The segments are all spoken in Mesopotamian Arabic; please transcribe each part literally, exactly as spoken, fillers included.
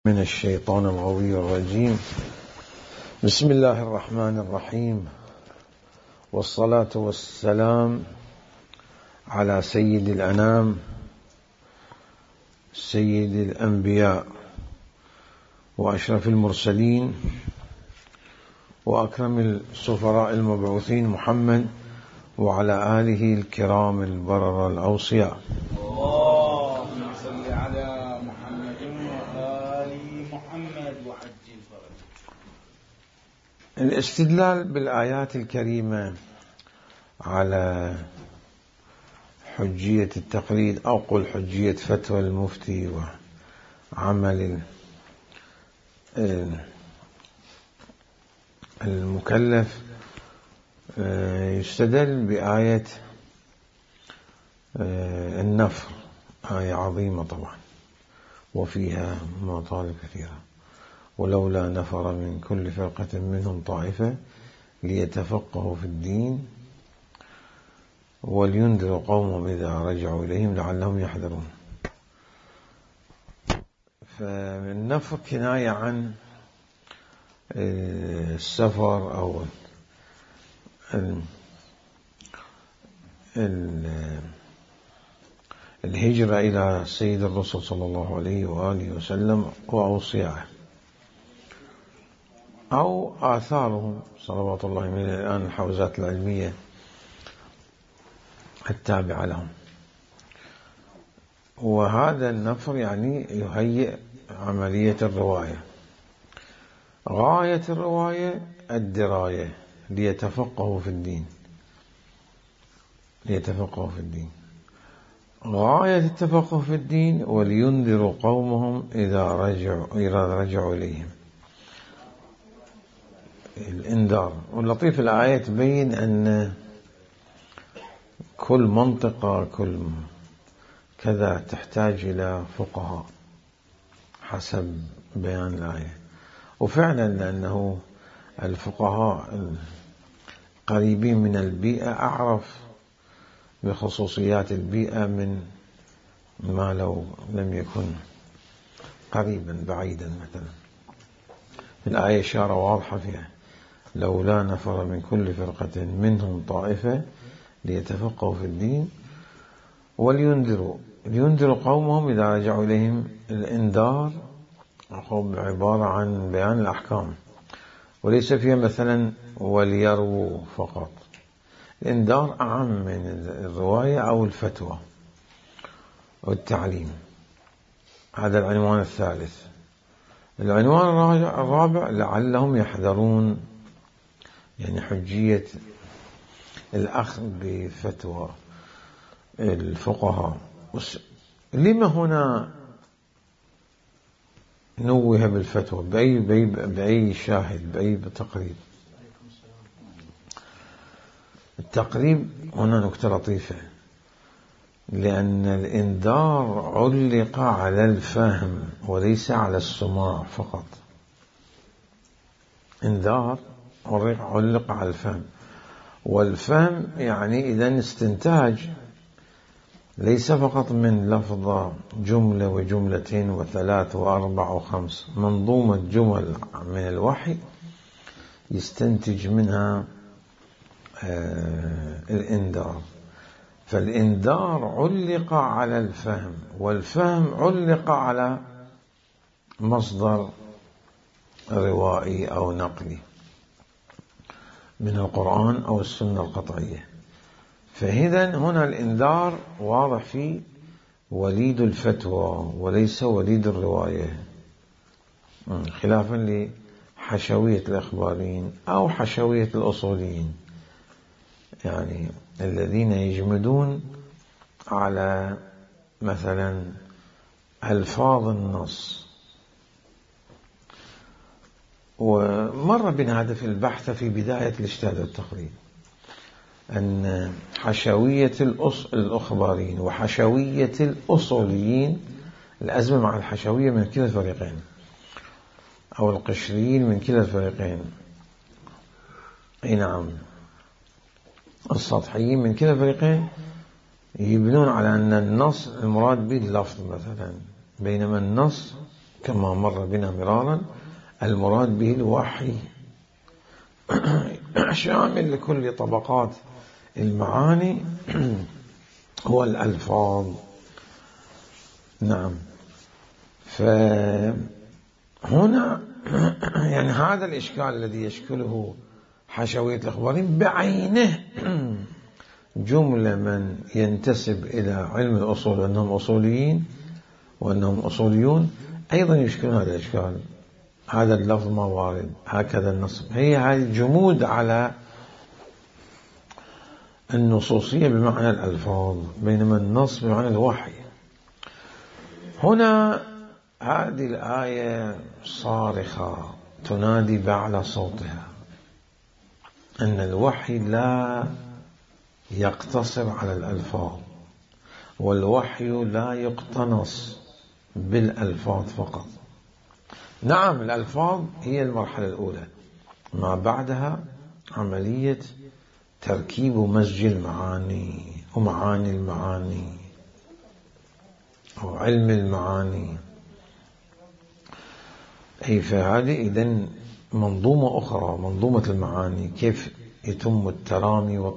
من الشيطان الغوي الرجيم. بسم الله الرحمن الرحيم، والصلاة والسلام على سيد الأنام سيد الأنبياء وأشرف المرسلين وأكرم السفراء المبعوثين محمد وعلى آله الكرام البررة الأوصياء. اللهم صل على محمد وآل محمد وعجل فرجه. الاستدلال بالآيات الكريمة على حجية التقليد أو قل حجية فتوى المفتي وعمل المكلف يستدل بآية النفر، آية عظيمة طبعا وفيها مطالب كثيرة. ولولا نفر من كل فرقة منهم طائفة ليتفقهوا في الدين ولينذروا قومهم إذا رجعوا إليهم لعلهم يحذرون. فالنفر كناية عن السفر أو الهجرة إلى سيد الرسول صلى الله عليه وآله وسلم وأوصيائه أو آثارهم صلوات الله من الآن الحوزات العلمية التابعة لهم. وهذا النفر يعني يهيئ عملية الرواية. غاية الرواية الدراية ليتفقهوا في الدين ليتفقهوا في الدين غاية التفقه في الدين ولينذروا قومهم إذا رجعوا إذا رجعوا إليهم. الإنذار. واللطيف الآية تبين أن كل منطقة كل كذا تحتاج إلى فقهاء حسب بيان الآية. وفعلا لأنه الفقهاء القريبين من البيئة أعرف بخصوصيات البيئة من ما لو لم يكن قريبا بعيدا. مثلا الآية إشارة واضحة فيها لولا نفر من كل فرقة منهم طائفة ليتفقهوا في الدين ولينذروا لينذروا قومهم إذا رجعوا إليهم. الإنذار عبارة عن بيان الأحكام وليس فيها مثلا وليروا فقط. الإنذار أعم من الرواية أو الفتوى والتعليم. هذا العنوان الثالث. العنوان الرابع لعلهم يحذرون، يعني حجية الأخذ بفتوى الفقهاء. لما هنا نوه بالفتوى؟ بأي, بأي, بأي شاهد بأي تقريب؟ التقريب هنا نكتة لطيفة، لأن الإنذار علق على الفهم وليس على السماع فقط. إنذار علق على الفهم، والفهم يعني إذن استنتاج ليس فقط من لفظة جملة وجملتين وثلاث وأربع وخمس، منظومة جمل من الوحي يستنتج منها آه الإنذار. فالإنذار علق على الفهم، والفهم علق على مصدر روائي أو نقلي من القرآن أو السنة القطعية. فإذن هنا الإنذار واضح فيه وليد الفتوى وليس وليد الرواية، خلافا لحشوية الإخباريين أو حشوية الأصوليين، يعني الذين يجمدون على مثلا ألفاظ النص. ومر بنا هذا في البحث في بداية الاجتهاد والتقريب، أن حشوية الأخباريين وحشوية الأصوليين، الأزمة مع الحشوية من كلا الفريقين أو القشريين من كلا الفريقين. أي نعم، السطحيين من كلا الفريقين يبنون على أن النص المراد به اللفظ مثلا، بينما النص كما مر بنا مرارا المراد به الوحي شامل لكل طبقات المعاني والألفاظ. نعم. فهنا يعني هذا الإشكال الذي يشكله حشوية الإخباريين بعينه جملة من ينتسب إلى علم الأصول أنهم أصوليين وأنهم أصوليون أيضا يشكلون هذا الإشكال. هذا اللفظ ما وارد، هكذا النصب، هي هذه الجمود على النصوصية بمعنى الألفاظ، بينما النص بمعنى الوحي. هنا هذه الآية صارخة تنادي بأعلى صوتها أن الوحي لا يقتصر على الألفاظ، والوحي لا يقتنص بالألفاظ فقط. نعم الألفاظ هي المرحلة الأولى، ما بعدها عملية تركيب ومزج المعاني ومعاني المعاني أو علم المعاني. أي فهذه إذن منظومة أخرى، منظومة المعاني، كيف يتم الترامي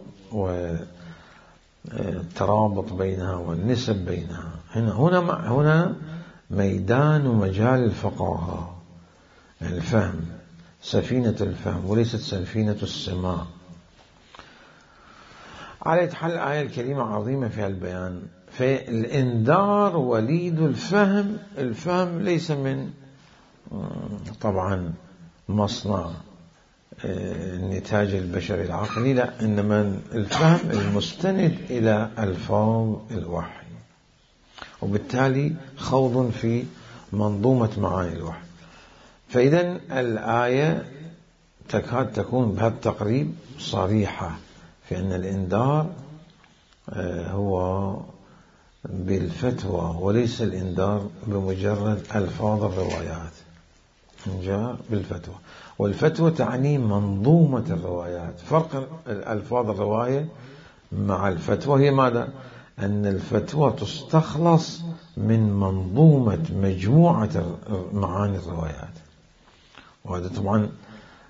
والترابط بينها والنسب بينها. هنا هنا هنا ميدان ومجال الفقاهة، الفهم، سفينة الفهم وليست سفينة السماع. على حال الآية الكريمة عظيمة في البيان. فالإنذار وليد الفهم. الفهم ليس من طبعا مصنع النتاج البشري العقلي، لا، إنما الفهم المستند إلى ألفاظ الوحي، وبالتالي خوض في منظومة معاني الوحي. فإذا الآية تكاد تكون بهذا التقريب صريحة في أن الإنذار هو بالفتوى وليس الإنذار بمجرد ألفاظ الروايات. جاء بالفتوى، والفتوى تعني منظومة الروايات. فرق الألفاظ الرواية مع الفتوى هي ماذا؟ أن الفتوى تستخلص من منظومة مجموعة معاني الروايات. وهذا طبعا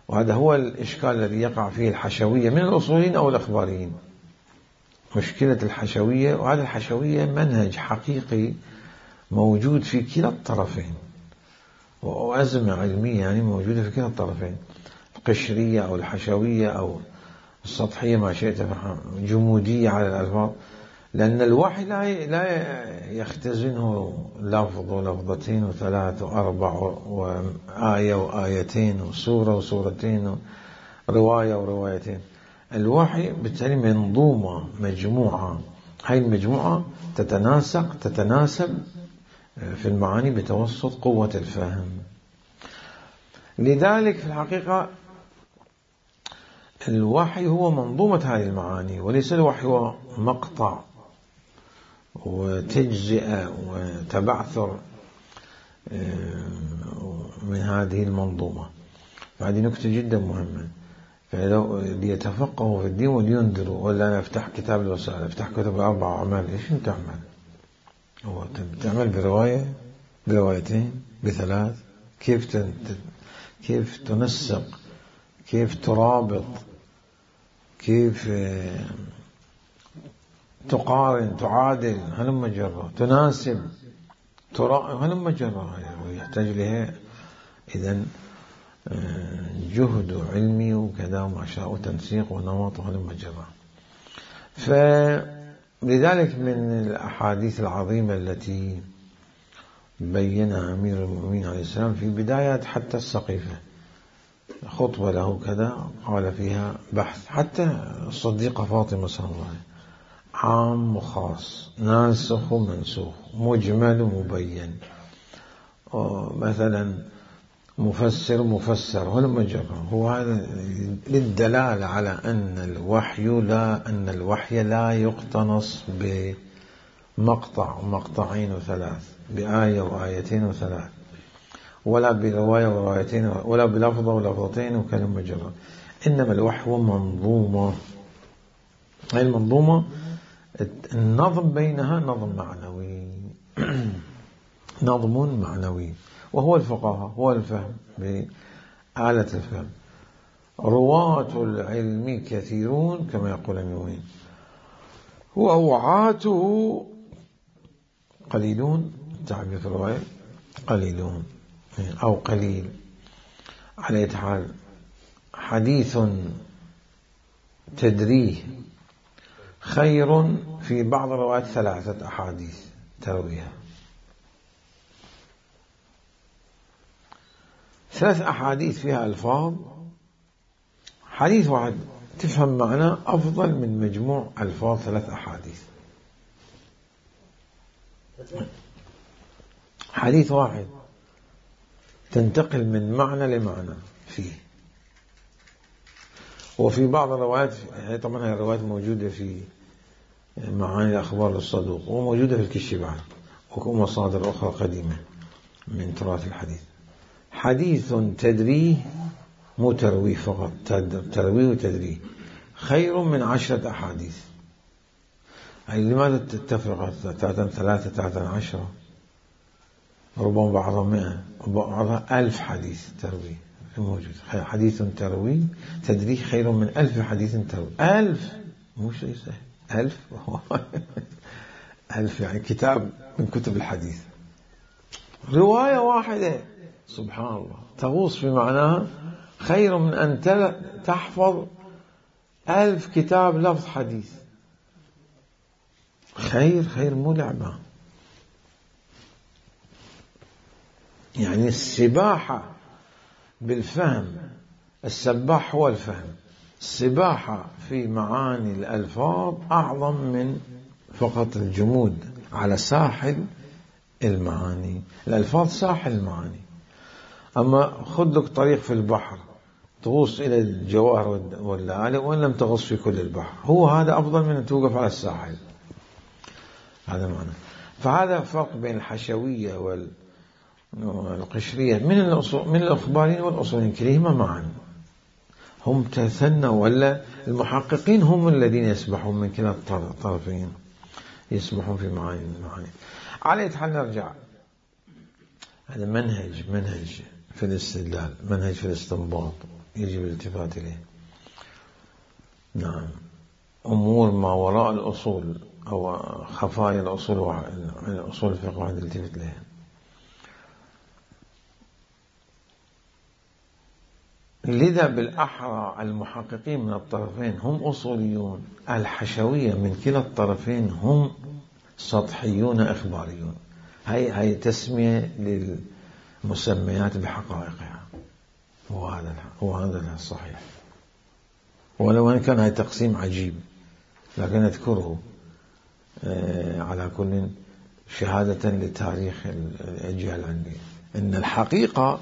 وهذا هو الإشكال الذي يقع فيه الحشوية من الأصوليين أو الإخباريين. مشكلة الحشوية، وهذا الحشوية منهج حقيقي موجود في كلا الطرفين، وأزمة علمية يعني موجودة في كلا الطرفين، القشرية أو الحشوية أو السطحية ما شئت، جمودية على الألفاظ. لأن الوحي لا لا يختزنه لفظ ولفظتين وثلاث وأربع وآية وآيتين وسورة وسورتين ورواية وروايتين. الوحي بالتالي منظومة، مجموعة، هاي المجموعة تتناسق تتناسب في المعاني بتوسط قوة الفهم. لذلك في الحقيقة الوحي هو منظومة هذه المعاني، وليس الوحي هو مقطع وتجزئة وتبعثر من هذه المنظومة. هذه نكتة جدا مهمة. فلو ليتفقهوا في الدين ولينذروا، ولا أنا أفتح كتاب الوسائل، أفتح كتب الأربع أعمال، إيش أنت تعمل؟ هو تعمل برواية، بروايتين، بثلاث، كيف تنت... كيف تنسق، كيف ترابط، كيف تقارن، تعادل، هلم جرة، تناسب، ترا، هلم جرة، ويحتاج لها إذن جهد علمي وكذا وما شاء، وتنسيق ونمط، وهلم جرة. فلذلك من الأحاديث العظيمة التي بينها أمير المؤمنين عليه السلام في بداية حتى السقيفة، خطبة له كذا قال فيها بحث، حتى الصديقة فاطمة صلى الله عليه وسلم، عام وخاص، ناسخ ومنسوخ، مجمل ومبين، مثلا مفسر مفسر، ولما جرى هو هذا للدلالة على أن الوحي لا أن الوحي لا يقتنص بمقطع ومقطعين وثلاث، بآية وآيتين وثلاث، ولا برواية وروايتين، ولا بلفظة ولفظتين وكلمة جرى. إنما الوحي هو منظومة. هذه المنظومة النظم بينها نظم معنوي نظم معنوي، وهو الفقاهة، هو الفهم بآلة الفهم. رواة العلم كثيرون كما يقول المؤمن، ووعاته قليلون، تعبير في الرواية قليلون أو قليل. على أي حال حديث تدريه خير في بعض الروايات ثلاثة أحاديث ترويها، ثلاث أحاديث فيها ألفاظ، حديث واحد تفهم معناه أفضل من مجموع ألفاظ ثلاث أحاديث. حديث واحد تنتقل من معنى لمعنى فيه. وفي بعض الروايات، طبعا هذه الروايات موجودة في معاني الأخبار للصدوق وموجودة في الكشف بعد ومصادر أخرى قديمة من تراث الحديث. حديث تدريه مو ترويه فقط، ترويه وتدريه خير من عشرة أحاديث. يعني لماذا تتفرق ثلاثة ثلاثة ثلاثة عشرة، ربما بعضها مئة وبعضها ألف حديث تروي موجود. حديث تروي تدريه خير من ألف حديث تروي. ألف مو شيء سهل، ألف ألف يعني كتاب من كتب الحديث. رواية واحدة سبحان الله تغوص في معناها خير من أن تحفظ ألف كتاب لفظ حديث. خير خير مو لعبة. يعني السباحة بالفهم، السباح هو الفهم. السباحة في معاني الألفاظ أعظم من فقط الجمود على ساحل المعاني. الألفاظ ساحل المعاني، أما خذ لك طريق في البحر تغوص إلى الجواهر واللآلئ وإن لم تغوص في كل البحر، هو هذا أفضل من أن توقف على الساحل. هذا معنى. فهذا فرق بين الحشوية والقشرية من الأصول من الأخباريين والأصوليين كليهما معا. هم تثنوا، ولا المحققين هم الذين يسبحون من كلا الطرفين، يسبحون في معاني المعاني. على أي حال نرجع، هذا منهج منهج في الاستدلال، منهج في الاستنباط يجب الالتفات إليه. نعم، أمور ما وراء الأصول أو خفايا الأصول من أصول الفقه واحد التفت لها. لذا بالأحرى المحققين من الطرفين هم أصوليون، الحشوية من كلا الطرفين هم سطحيون إخباريون. هاي هاي تسمية للمسميات بحقائقها، وهذا هو هذا الصحيح. ولو أن كان هاي تقسيم عجيب لكن أذكره على كل شهادة لتاريخ الأجيال عندي، إن الحقيقة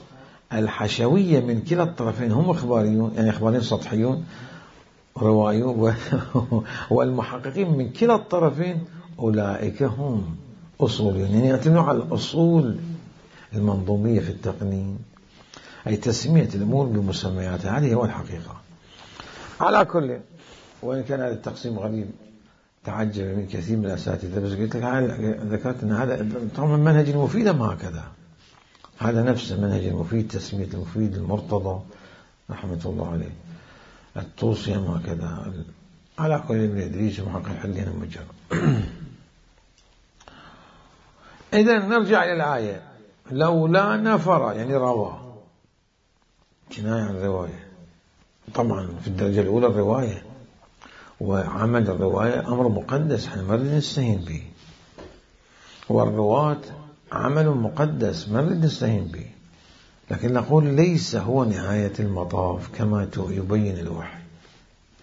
الحشوية من كلا الطرفين هم إخباريون، يعني إخباريون سطحيون روائيون، والمحققين من كلا الطرفين أولئك هم أصوليون، يعني يعتمدون على الأصول المنظومية في التقنين، أي تسمية الأمور بمسمياتها. هذه هو الحقيقة. على كل، وإن كان هذا التقسيم غريب تعجب من كثير من الأساتذة، بس قلت لك ذكرت أن هذا طبعا منهج المفيد ما هكذا، هذا نفس المنهج المفيد، تسمية المفيد المرتضى رحمة الله عليه، الطوسي ما هكذا. على كل ابن إدريس محقق حلين المجر. إذا نرجع إلى الآية، لولا نفر يعني رواه، كناية عن الرواية. طبعا في الدرجة الأولى الرواية، وعمل الرواية أمر مقدس احنا ما نريد نستهين به، والرواة عمل مقدس ما نريد نستهين به، لكن نقول ليس هو نهاية المطاف كما يبين الوحي،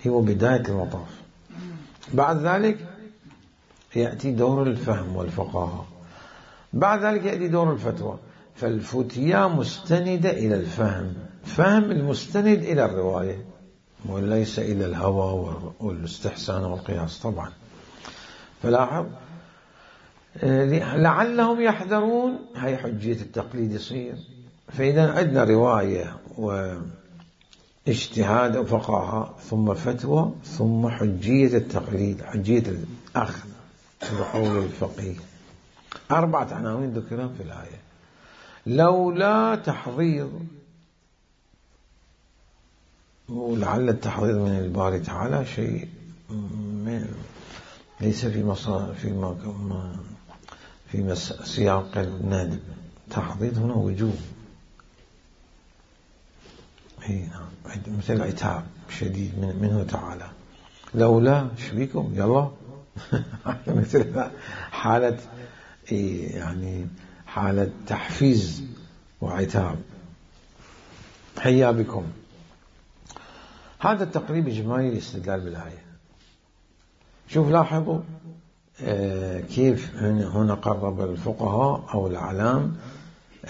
هو بداية المطاف. بعد ذلك يأتي دور الفهم والفقاهة، بعد ذلك يأتي دور الفتوى. فالفتيا مستندة إلى الفهم، فهم المستند إلى الرواية وليس إلى الهوى والاستحسان والقياس طبعا. فلاحظ لعلهم يحذرون، هي حجية التقليد يصير. فإذا عندنا رواية واجتهاد وفقاهة ثم فتوى ثم حجية التقليد، حجية الأخذ بقول الفقيه. أربعة عناوين ذكرهم في الآية. لولا تحضير، ولعل التحضير من الباري تعالى شيء ليس في مصر في ما في سياق الندب. تحضير هنا وجوب، مثل عتاب شديد من منه تعالى. لولا شبيكم يلا مثل حالة يعني حالة تحفيز وعتاب. حيا بكم. هذا التقريب إجمالي الاستدلال بالآية. شوف لاحظوا آه كيف هنا قرب الفقهاء أو الأعلام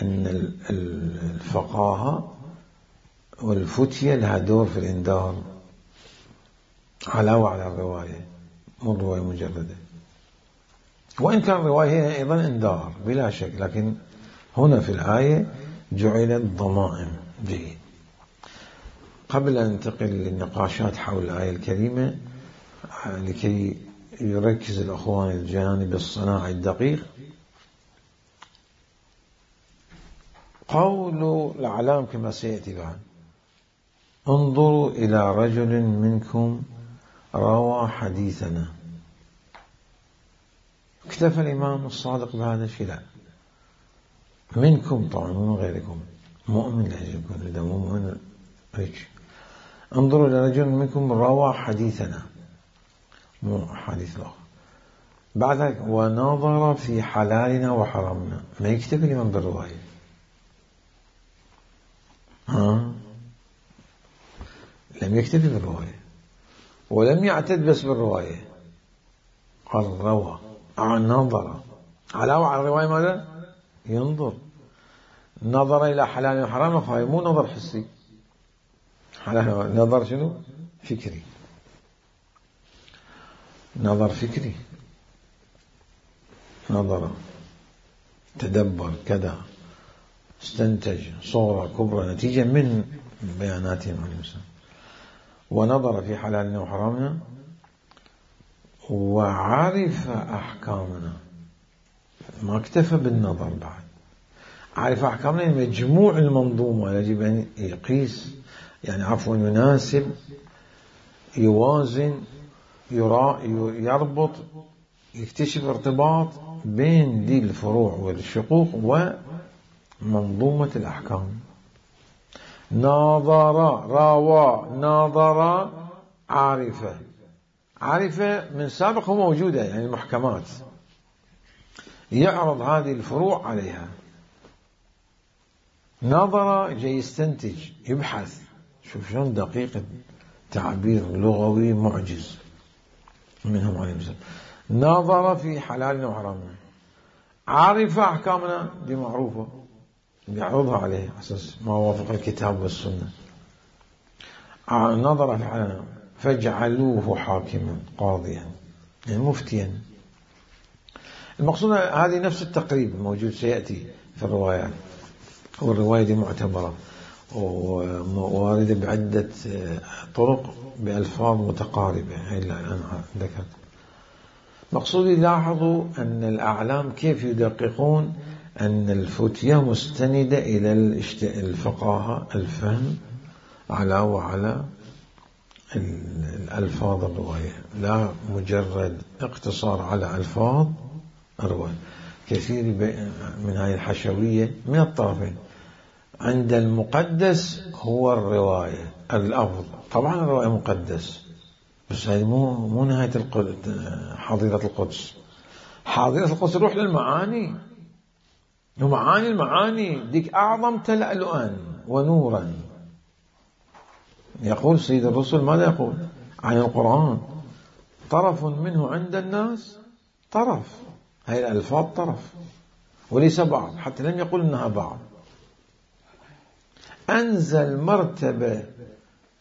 أن الفقاهة والفتية لها دور في الإنذار علاوة على الرواية، مو الرواية مجردة، وإن كان الرواية هي أيضا إنذار بلا شك، لكن هنا في الآية جعلت ضمائم. جيد. قبل أن ننتقل للنقاشات حول الآية الكريمة لكي يركز الأخوان الجانب الصناعي الدقيق، قول الأعلام كما سيأتي بعد: انظروا إلى رجل منكم روى حديثنا. اكتفى الإمام الصادق بهذا الشيء؟ لا، منكم طبعا من غيركم، مؤمن لا يكون إذا مؤمن هيك. انظروا إلى رجل منكم روى حديثنا، مو حديث الآخر. بعد ذلك ونظر في حلالنا وحرامنا. ما يكتفي الإمام بالرواية، ها لم يكتفي بالرواية ولم يعتد بس بالرواية، قال روى نظر. علاوة على الرواية ماذا؟ ينظر. نظر إلى حلال وحرام، مو نظر حسي، نظر شنو؟ فكري، نظر فكري، نظر تدبر كذا، استنتج صورة كبرى نتيجة من بياناتهم عليه السلام. ونظر في حلالنا وحرامنا وعرف أحكامنا. ما اكتفى بالنظر، بعد عرف أحكامنا، مجموع المنظومة يجب أن يقيس، يعني عفوا يناسب، يوازن، يربط، يكتشف ارتباط بين دي الفروع والشقوق ومنظومة الأحكام. ناظر، راوى، ناظر، عارفة. عارفة من سابق هو موجودة، يعني المحكمات، يعرض هذه الفروع عليها. ناظر جاي يستنتج، يبحث. شوف شلون دقيق، تعبير لغوي معجز منهم عليه السلام. ناظر في حلالنا وحرامنا. عارف أحكامنا، دي معروفة، يعرضها عليه أساس ما وافق الكتاب والسنة. نظر في حلالنا فاجعلوه حاكما قاضيا، يعني مفتيا. المقصود هذه نفس التقريب الموجود سيأتي في الروايات، والرواية دي معتبرة وواردة بعدة طرق بألفاظ متقاربة. هي اللي أنا ذكرت. مقصودي لاحظوا أن الأعلام كيف يدققون أن الفتية مستندة إلى الفقاهة، الفهم، على وعلى الألفاظ الرواية، لا مجرد اقتصار على ألفاظ الرواية. كثير من هذه الحشوية من الطرفين. عند المقدس هو الرواية الأفضل، طبعا الرواية مقدس، بس هذه مو مو نهاية حظيرة القدس. حظيرة القدس روح للمعاني، ومعاني المعاني ديك أعظم تلألؤا ونورا. يقول سيد الرسل ماذا يقول عن القرآن؟ طرف منه عند الناس طرف. هاي الألفاظ طرف وليس بعض، حتى لم يقول إنها بعض. أنزل مرتبة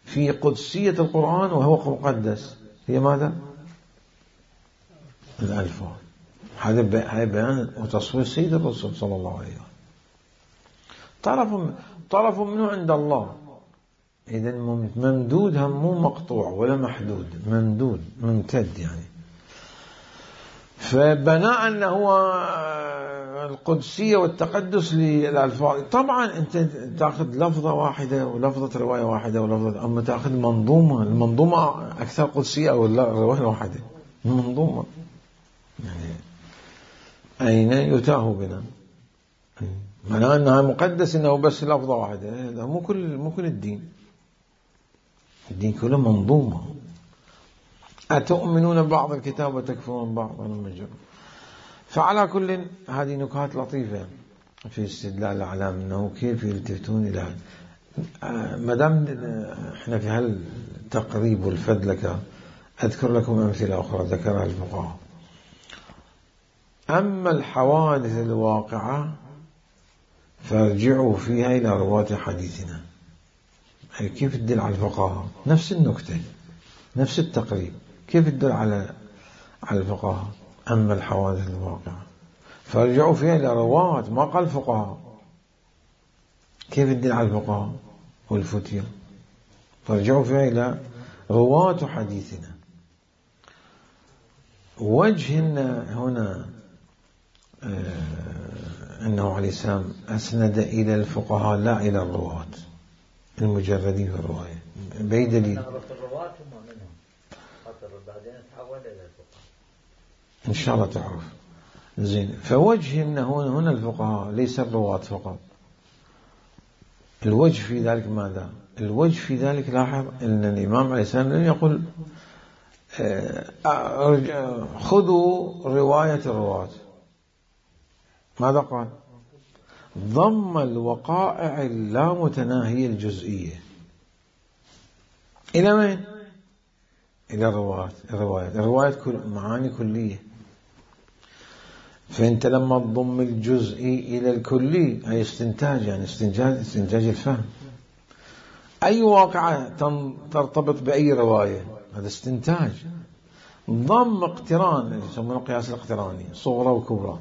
في قدسية القرآن وهو مقدس، هي ماذا؟ الألفاظ. هذا بيان وتصوير سيد الرسول صلى الله عليه وسلم. طرف طرف منه عند الله، إذن ممدود، هم مو مقطوع ولا محدود، ممدود ممتد يعني. فبناء أنه هو القدسية والتقدس للألفاظ. طبعا أنت تأخذ لفظة واحدة ولفظة رواية واحدة ولفظة، أما تأخذ منظومة، المنظومة أكثر قدسية أو الرواية الواحدة المنظومة، يعني أين يتاه بنا؟ معناه أنها مقدس إنه بس لفظة واحدة؟ لا، مو كل مو كل الدين، الدين كله منظومة. أتؤمنون بعض الكتاب وتكفرون بعض؟ المجر. فعلى كل هذه نكات لطيفة في استدلال الأعلام أنه كيف يلتفتون إلى، ما دام احنا في هالتقريب والفدلكة أذكر لكم أمثلة أخرى ذكرها الفقهاء. أما الحوادث الواقعة فارجعوا فيها إلى رواة حديثنا. كيف تدل على الفقهاء؟ نفس النكتة، نفس التقريب، كيف تدل على على الفقهاء؟ أما الحوادث الواقعة فارجعوا فيها إلى رواة، ما قال فقهاء. كيف تدل على الفقهاء والفتية؟ فارجعوا فيها إلى رواة حديثنا. وجه هنا آه أنه عليه السلام أسند إلى الفقهاء لا إلى الرواة المجردين في الرواية، بأي دليل؟ إن شاء الله تعرف زين. فوجه أنه هنا الفقهاء ليس الرواة فقط. الوجه في ذلك ماذا؟ الوجه في ذلك لاحظ أن الإمام عليه السلام لم يقل خذوا رواية الرواة، ماذا قال؟ ضم الوقائع اللامتناهية الجزئية إلى من؟ إلى الروايات. الروايات الروايات كل معاني كلية، فأنت لما تضم الجزئي إلى الكلي أي استنتاج، يعني استنتاج استنتاج الفهم. أي واقعة ترتبط بأي رواية هذا استنتاج. ضم اقتران يسمونه القياس الاقتراني، صغرى وكبرى،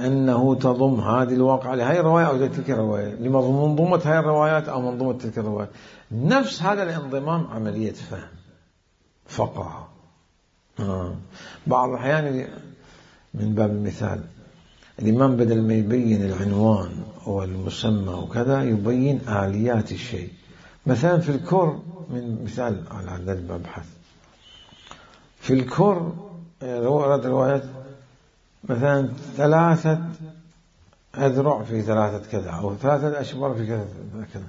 أنه تضم هذه الواقعة لهذه الرواية أو تلك الرواية، لمنظومة هذه الروايات أو منظومة تلك الروايات. نفس هذا الانضمام عملية فهم فقه. آه. بعض الأحيان من باب المثال الإمام بدل ما يبين العنوان والمسمى وكذا يبين آليات الشيء. مثلا في الكر، من مثال على هذا المبحث، في الكر روايات مثلا ثلاثة أذرع في ثلاثة كذا أو ثلاثة أشبار في كذا كذا،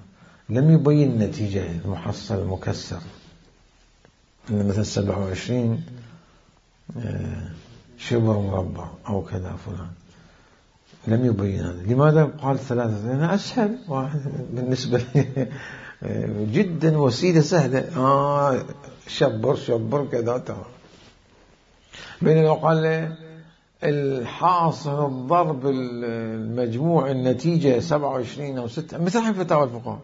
لم يبين النتيجة المحصل المكسر، إن مثلا سبعة وعشرين شبر مربع أو كذا فلان، لم يبين هذا. لماذا قال ثلاثة؟ لأنه أسهل واحد بالنسبة لي جدا، وسيلة سهلة. آه شبر شبر كذا تمام. بين لو قال الحاصل الضرب المجموع النتيجة سبعة وعشرين أو ستة، مثل فتاوى الفقهاء،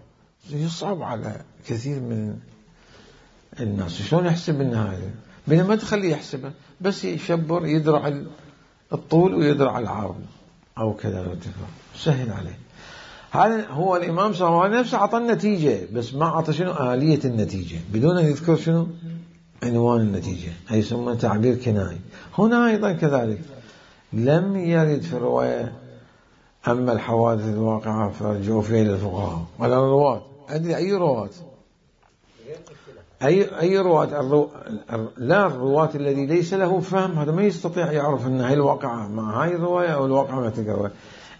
يصعب على كثير من الناس شلون يحسب النهاية، بينما ما تخليه يحسبه، بس يشبر يدرع الطول ويدرع العرض أو كذا الارتفاع، سهل عليه. هذا هو الإمام صلى الله عليه وسلم نفسه عطى النتيجة، بس ما عطى شنو آلية النتيجة، بدون أن يذكر شنو عنوان النتيجة، أي يسمى تعبير كنائي. هنا أيضا كذلك لم يرد في الرواية أما الحوادث الواقعة فارجعوا فيها إلى الفقهاء ولا الرواة. أدري أي رواة؟ أي أي رواة؟ الرو... لا، الرواة الذي ليس له فهم هذا ما يستطيع يعرف أن هاي الواقعة مع هاي الرواية أو الواقعة مع تلك الرواية.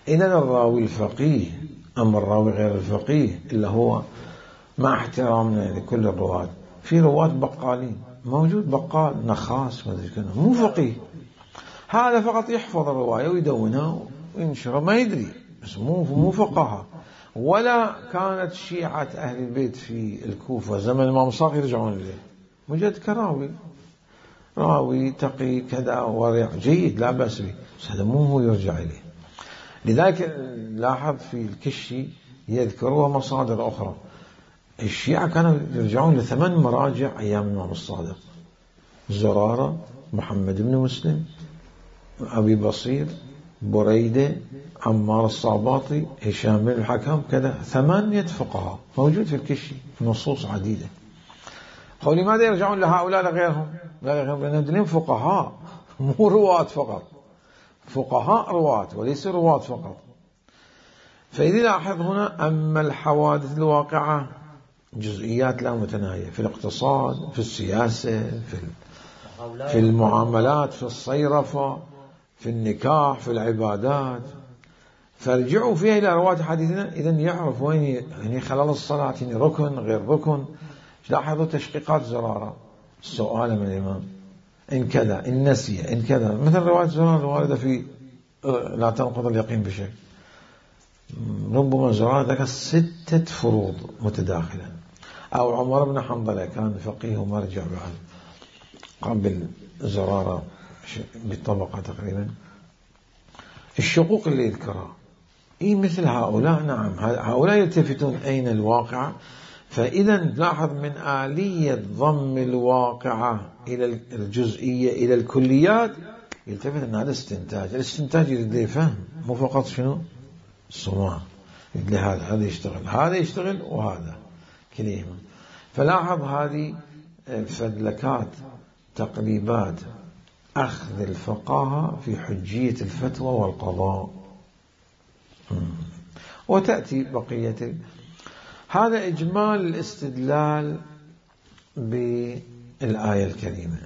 إذن الراوي الفقيه، أما الراوي غير الفقيه اللي هو مع احترامنا لكل الرواة، في رواة بقالين، موجود بقال نخاس مو فقيه، هذا فقط يحفظ الرواية ويدونها وينشرها، ما يدري، بس مو مو فقهاء. ولا كانت شيعة أهل البيت في الكوفة زمن الإمام صادق يرجعون إليه، مجرد كراوي، راوي تقي كذا ورع جيد لا بأس به، بس هذا مو هو يرجع إليه. لذلك لاحظ في الكشي يذكروا مصادر أخرى. الشيعة كانوا يرجعون لثمان مراجع أيام الإمام الصادق: زرارة، محمد بن مسلم، أبي بصير، بريدة، عمار الصعباطي، هشام بن الحكم، كذا، ثمانية فقهاء موجود في الكشي، نصوص عديدة. قالوا لماذا يرجعون لهؤلاء لغيرهم؟ لا غيرهم، لأنهم فقهاء مو رواة فقط. فقهاء رواة وليس رواة فقط. فإذا لاحظ هنا أما الحوادث الواقعة جزئيات لا متناهية في الاقتصاد، في السياسة، في في المعاملات، في الصيرفة، في النكاح، في العبادات، فارجعوا فيها إلى رواة حديثنا إذن يعرف وين يعني خلال الصلاة يعني ركن غير ركن. لاحظوا تشقيقات زرارة، السؤال من الإمام إن كذا إن نسي إن كذا، مثل رواية زرارة الواردة في لا تنقض اليقين بشيء. ربما زرارة ذكر ستة فروض متداخلة. أو عمر بن حنظلة كان فقيه ومرجع بعد قبل زرارة بطبقة تقريبا. الشقوق اللي يذكرها إيه مثل هؤلاء، نعم هؤلاء يلتفتون أين الواقع. فإذا لاحظ من آلية ضم الواقعة إلى الجزئية إلى الكليات يلتفت أن هذا استنتاج. الاستنتاج يريد لي فهم، مو فقط شنو الصماء، يريد لي هذا هذا يشتغل هذا يشتغل وهذا كليهما. فلاحظ هذه الفدلكات تقريبات أخذ الفقاهة في حجية الفتوى والقضاء. وتأتي بقية. هذا إجمال الاستدلال بالآية الكريمة.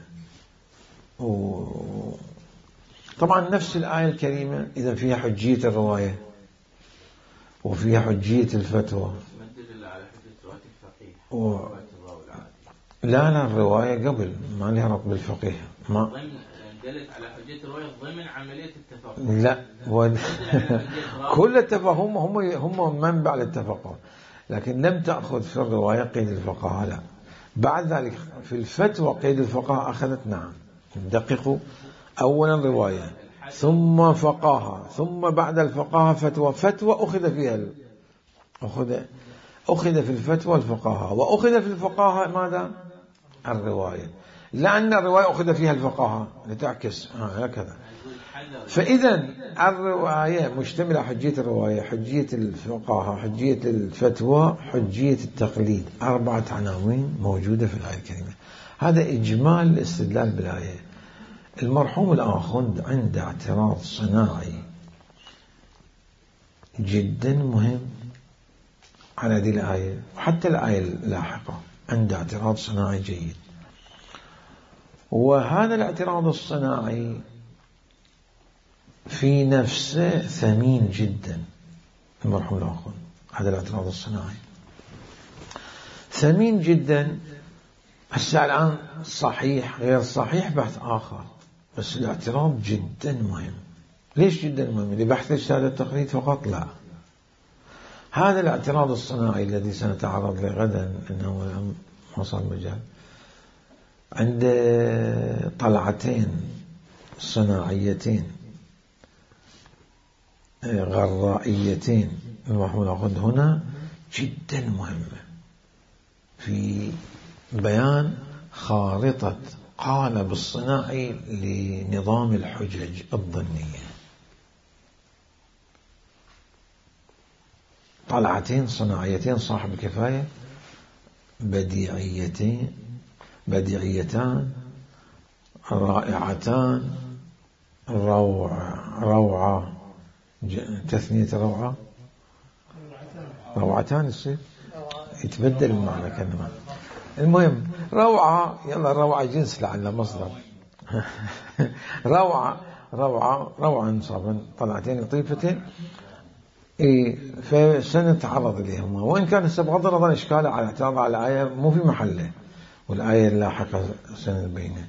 طبعا نفس الآية الكريمة إذا فيها حجية الرواية وفيها حجية الفتوى. و... لا لا الرواية قبل ما لها ربط بالفقيه، ما دلت على حجية الرواية ضمن عملية التفاقم. لا و... كل التفاهم هم هم منبع للتفاقم، لكن لم تأخذ في الرواية قيد الفقهاء. لا بعد ذلك في الفتوى قيد الفقهاء أخذت. نعم دققوا، أولا رواية ثم فقاهة ثم بعد الفقاهة فتوى. فتوى أخذ فيها ال... أخذ أخذ في الفتوى الفقاهة وأخذ في الفقاهة ماذا؟ الرواية، لأن الرواية أخذ فيها الفقاهة لتعكس هكذا. فإذا الرواية مشتملة حجية الرواية، حجية الفقاهة، حجية الفتوى، حجية التقليد. أربعة عناوين موجودة في الآية الكريمة. هذا إجمال الاستدلال بالآية. المرحوم الآخوند عنده اعتراض صناعي جدا مهم على هذه الآية وحتى الآية اللاحقة، عنده اعتراض صناعي جيد. وهذا الاعتراض الصناعي في نفسه ثمين جدا. المرحوم الآخوند هذا الاعتراض الصناعي ثمين جدا. هسه الآن صحيح غير صحيح بحث آخر، بس الاعتراض جدا مهم. ليش جدا مهم؟ لبحث الشهادة التقليد فقط؟ لا، هذا الاعتراض الصناعي الذي سنتعرض له غدا انه ما صار مجال، عند طلعتين صناعيتين غرائيتين المرحوم الآخوند هنا جدا مهمة في بيان خارطة قالب الصناعي لنظام الحجج الظنية. طلعتين صناعيتين صاحب كفاية بديعيتين بديعيتان رائعتان روعة روعة تثنية روعة روعتان يصير يتبدل المعنى كلمة. المهم روعة، يلا روعة جنس لعل مصدر روعة روعة روعة انصابا طلعتين لطيفتين. إيه فسنتعرض إليهما، وإن كان بغض النظر إشكاله على اعتراض على الآية مو في محله والآية اللاحقة سنبينه،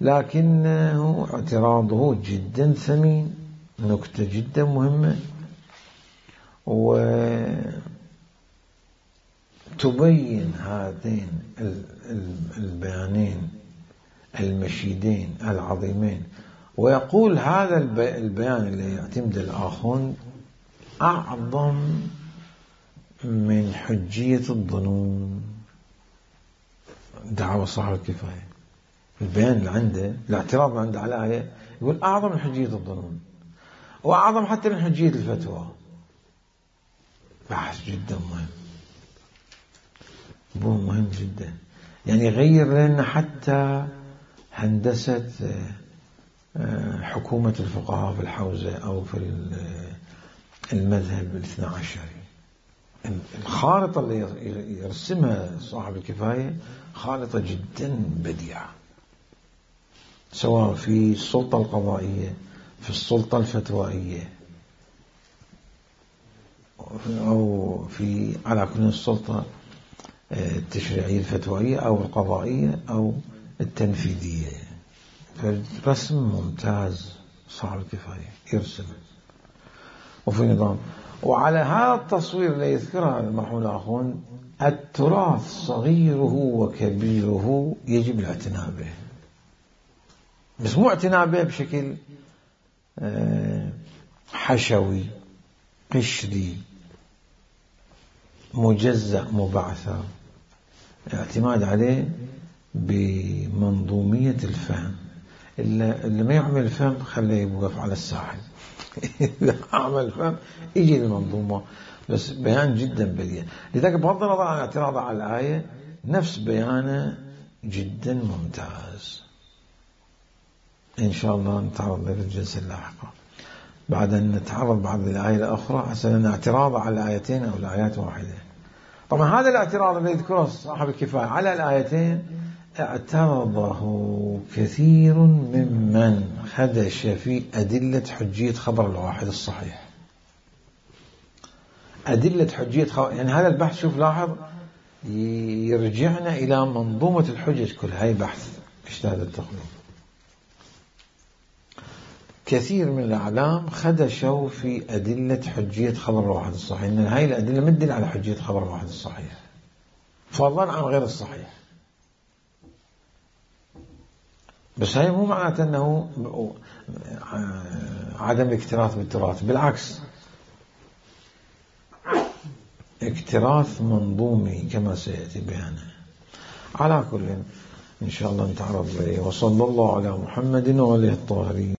لكنه اعتراضه جدا ثمين، نكتة جدا مهمة وتبين هذين البيانين المشيدين العظيمين. ويقول هذا البيان اللي يعتمد الآخوند أعظم من حجية الظنون دعوة صاحب الكفاية. البيان اللي عنده الاعتراض اللي عنده على الآية يقول أعظم من حجية الظنون وأعظم حتى من حجية الفتوى. بحث جدا مهم، مو مهم جدا، يعني يغير لنا حتى هندسة حكومة الفقهاء في الحوزة أو في المذهب الاثنى عشري. الخارطة اللي يرسمها صاحب الكفاية خارطة جدا بديعة، سواء في السلطة القضائية، في السلطة الفتوائية، أو في على كل السلطة التشريعية الفتوائية أو القضائية أو التنفيذية. فرسم ممتاز صاحب الكفاية يرسم وفي نظام. وعلى هذا التصوير اللي يذكرها المرحوم الأخون، التراث صغيره وكبيره يجب الاعتناء به، بس مو اعتناء به بشكل حشوي قشري مجزأ مبعثر، اعتماد عليه بمنظومية الفهم. اللي ما يعمل الفهم خليه يوقف على الساحل إذا عمل الفهم يجي المنظومة، بس بيان جدا بديع. لذلك بغض النظر عن اعتراضه على الآية، نفس بيانه جدا ممتاز. إن شاء الله نتعرض له في الجلسة اللاحقة بعد أن نتعرض بعض الآية الأخرى، حسنا اعتراض على الآيتين أو الآيات واحدة. طبعا هذا الاعتراض الذي يذكره صاحب الكفاية على الآيتين اعترضه كثير ممن خدش في أدلة حجية خبر الواحد الصحيح. أدلة حجية خبر، يعني هذا البحث شوف لاحظ يرجعنا إلى منظومة الحجج كلها. هاي بحث اجتهاد التقليد. كثير من الأعلام خدشوا في أدلة حجية خبر الواحد الصحيح، إن هاي الأدلة مدل على حجية خبر الواحد الصحيح فضلا عن غير الصحيح. بس هاي مو معناته أنه عدم الاكتراث بالتراث، بالعكس اكتراث منظومي كما سيأتي بيانه. على كل إن شاء الله نتعرض له. وصلى الله على محمد وآله الطاهرين.